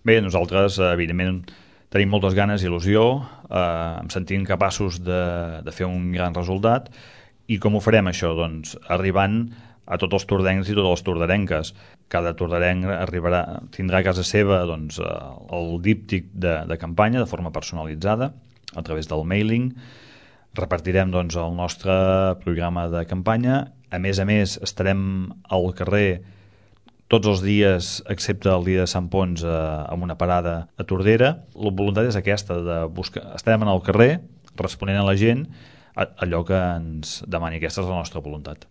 Bé, nosaltres, evidentment, tenim moltes ganes i il·lusió, em sentim capaços de fer un gran resultat. I com ho farem, això? Doncs arribant a tots els tordencs i totes les tordarenques. Cada tordarenc tindrà a casa seva doncs, el díptic de campanya de forma personalitzada a través del mailing. Repartirem doncs, el nostre programa de campanya. A més, estarem al carrer tots els dies, excepte el dia de Sant Ponç, amb una parada a Tordera. La voluntat és aquesta, estarem al carrer responent a la gent allò que ens demani. Aquesta és la nostra voluntat.